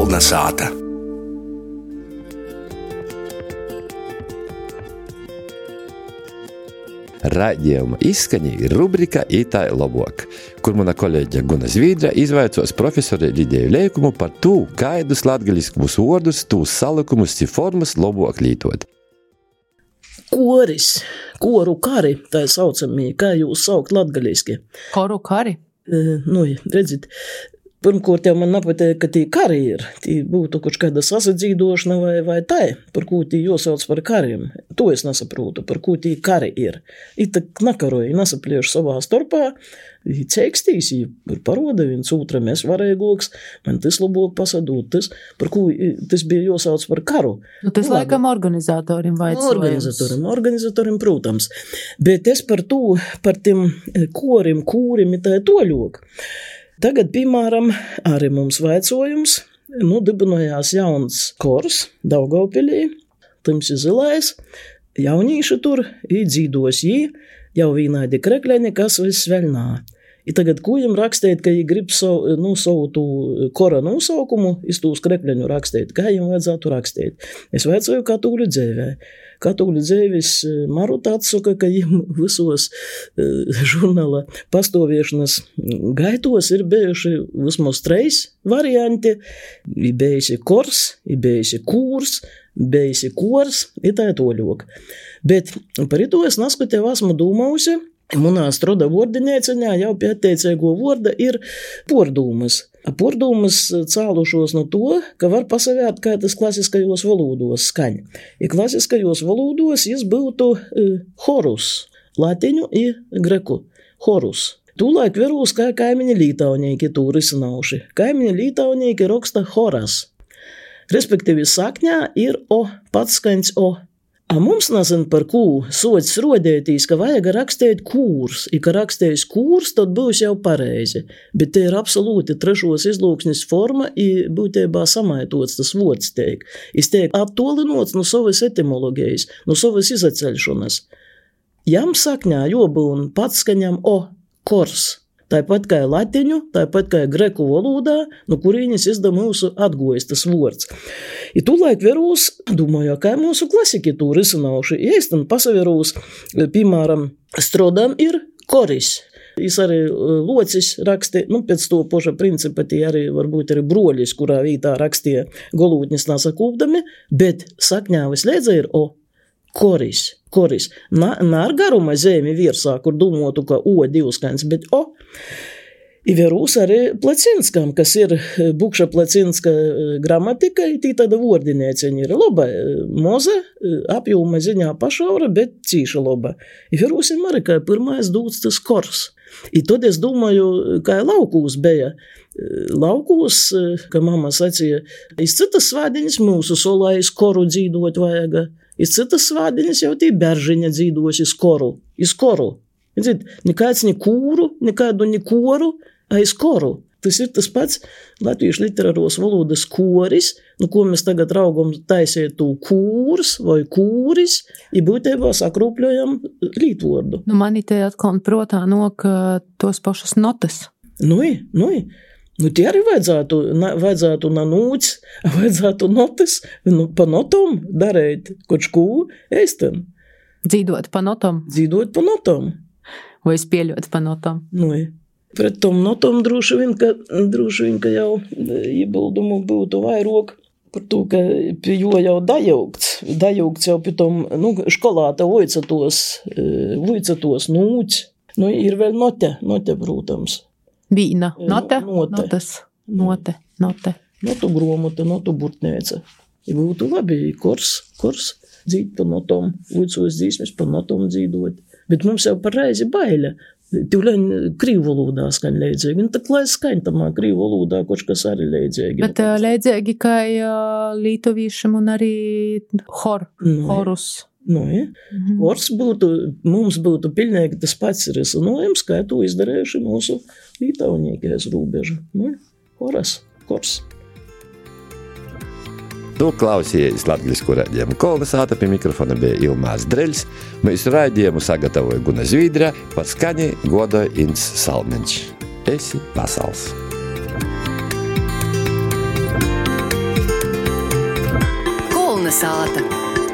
Kolnesāta. Raidījuma izskaņa ir rubrika Itai lobuok, kur mana kolēģe Guna Zvīdra izvaicos profesori Lidiju Leikumu par tū, kaidus latgaļiskumus vārdus, tūs salikumus ci formas lobuok lītot. Koris, koru kari, tā saucamie, kā jūs saukt latgaļiski? Koru kari? Redzit, pirmkārt jau man nepateik, ka tī kari ir. Tī būtu kaut kāda sasadzīdošana vai tā, par ko tī jāsauc par kariem. To es nesaprotu, par ko tī kari ir. Ita nakaroja, nesaplieši savā starpā, ceikstīs, paroda viens otram, es varēgoks, man tas labāk pasadūt, tas, par ko tas bija jāsauc par karu. Tas laikam organizatorim vaicojums. Organizatorim, protams. Bet es par tiem korim, kūrim, tā toļok. Tagad, piemēram, arī mums vaicojums, dibinojās jauns kors Daugavpilī, tymsi zilais, jaunīši tur, dzīdos jī, jau vīnaidi krekļeni, kas viss veļnā. I tagad kūjam rakstēt, ka jī grib savu tū kora nosaukumu, iz tūs krekļeņu rakstēt, kā jiem vajadzētu rakstēt. Es vaicoju Katoļu dzēvē. Katoļu dzēvis Maruta atsaka, ka jiem visos žurnāla pastāviešanas gaitos ir bijuši vismaz 3 varianti. Ir bijusi kors, ir bijusi kūrs, bijusi kors, ir tā toļok. Bet par ito es naskatēju esmu dūmausi, munā stroda vordinēceņā jau pie atteicēgo vorda ir pordūmas. Pordūmas cālušos no to, ka var pasavērt, kā tas klasiskajos valūdos skaņ. I klasiskajos valūdos jis būtu horus, latiņu i greku. Horus. Tūlaik verūs, kā kaimiņi lītaunieki tū risinauši. Kaimiņi lītaunieki roksta horas. Respektīvi sakņā ir o, pats skaņs o. A mums nezin par kū sots rodētīs, ka vajag rakstēt kūrs. I ka rakstējis kūrs, tad būs jau pareizi. Bet te ir absolūti trešos izlūksnis forma i būtībā samaitots tas vods teik. Es teik attolinots no savas etimologijas, no savas izaceļšanas. Jam sakņā jobūn pats skaņam o, kors. Tāpat kā latiņu, tāpat kā greku valodā, no kurīnis izda mūsu atgojas tas vords. I tūlaik verūs, domāju, kā mūsu klasiki tū risinauši, iestan pasaverūs, piemēram, strodam ir koris. Jis arī locis raksti, pēc to poša principa tī arī varbūt arī broļis, kurā vītā rakstīja golūtnis nasakūpdami, bet sakņā visliedza ir o. Koris. Nār garuma zemi virsā, kur domātu, ka o divskaņs, bet o. I verūs arī Placinskam, kas ir Bukša Placinska gramatika, tī tāda vordinēceņa ir loba, moza, apjūma ziņā pašaura, bet cīša loba. I verūsim arī, kā pirmais dūts tas kors. I tad es domāju, kā laukūs beja. Laukūs, ka mama sacīja, iz citas svādiņas mūsu solā iz koru dzīdot vajaga. Iz citas svādiņas jau tī beržiņa dzīdos iz koru. Nekāds ni kūru, nekādu ni koru, a iz koru. Tas ir tas pats latviešu literāros valodas koris, ko mēs tagad raugam taisiet tū kūrs vai kūris, i būtībā sakrūpļojam lītvordu. Mani te atkal protā nok tos pašas notas. Tie arī vajadzētu nanūts, vajadzētu notas, pa notom darēt kočkū eistam. Dzīdot pa notom? Dzīdot pa notom. Vai spieļot pa notom? Pret tom notom droši vien, ka jau iebildumu būtu vairāk par to, ka pie jo jau dajaugts jau pie tom, školāta voicatos nūts. Ir vēl note, protams. Vīna, note, note. Notu gromota, notu burtnēca. Ja būtu labi, kors, dzīt pa notom, voicos dzīsmes pa notom dzīdot. Bet mums jau par reizi baile. Tīvleņ krīvu valodā skaņ leidzēgi. Tā klais skaņ tamā krīvu valodā, kočkas arī leidzēgi. Bet leidzēgi kā lītovīšam un arī horus. Kors mums būtu pilnīgi tas pats risinājums, kā to izdarējuši mūsu lītauniekais rūbeža. Kors. Tu klausījies latgaļisku raidījumu Kolnesāta, pie mikrofona bija Ilmārs Dreļs. Mēs raidījumu sagatavoja Guna Zvīdra, par skaņi godoja Ints Salmeņš. Esi pasals! Kalnasāta.